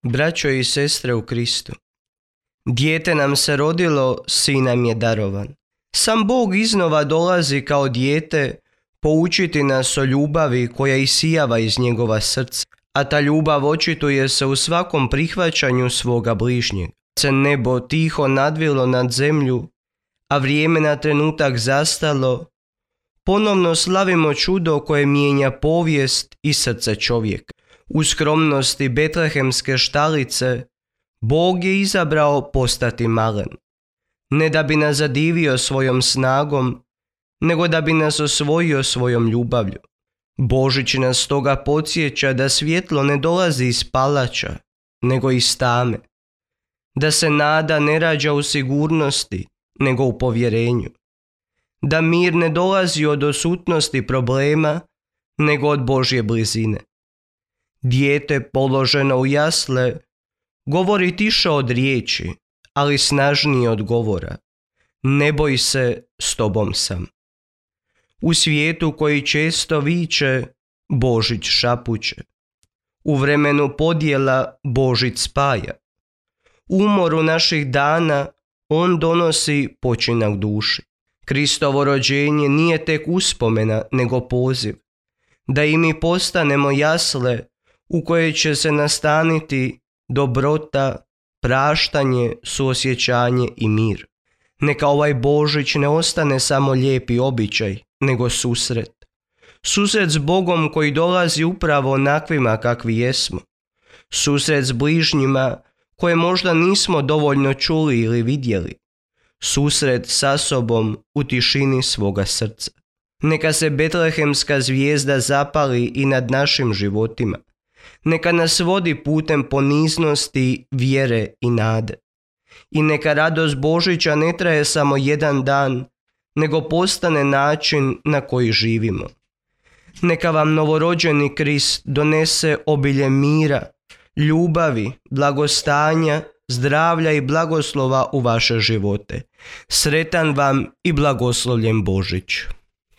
Braćo i sestre u Kristu, dijete nam se rodilo, sin nam je darovan. Sam Bog iznova dolazi kao dijete poučiti nas o ljubavi koja isijava iz njegova srca, a ta ljubav očituje se u svakom prihvaćanju svoga bližnjeg. Se nebo tiho nadvilo nad zemlju, a vrijeme na trenutak zastalo, ponovno slavimo čudo koje mijenja povijest i srce čovjeka. U skromnosti betlehemske štalice Bog je izabrao postati malen, ne da bi nas zadivio svojom snagom, nego da bi nas osvojio svojom ljubavlju. Božić nas stoga podsjeća da svjetlo ne dolazi iz palača, nego iz tame, da se nada ne rađa u sigurnosti, nego u povjerenju, da mir ne dolazi od odsutnosti problema, nego od Božje blizine. Dijete položeno u jasle govori tiše od riječi, ali snažnije od govora. Ne boj se, s tobom sam. U svijetu koji često viče, Božić šapuće. U vremenu podjela Božić spaja. U umoru naših dana on donosi počinak duši. Kristovo rođenje nije tek uspomena, nego poziv, da i mi postanemo jasle u koje će se nastaniti dobrota, praštanje, suosjećanje i mir. Neka ovaj Božić ne ostane samo lijepi običaj, nego susret. Susret s Bogom koji dolazi upravo onakvima kakvi jesmo. Susret s bližnjima koje možda nismo dovoljno čuli ili vidjeli. Susret sa sobom u tišini svoga srca. Neka se betlehemska zvijezda zapali i nad našim životima. Neka nas vodi putem poniznosti, vjere i nade. I neka radost Božića ne traje samo jedan dan, nego postane način na koji živimo. Neka vam novorođeni Krist donese obilje mira, ljubavi, blagostanja, zdravlja i blagoslova u vaše živote. Sretan vam i blagoslovljen Božić.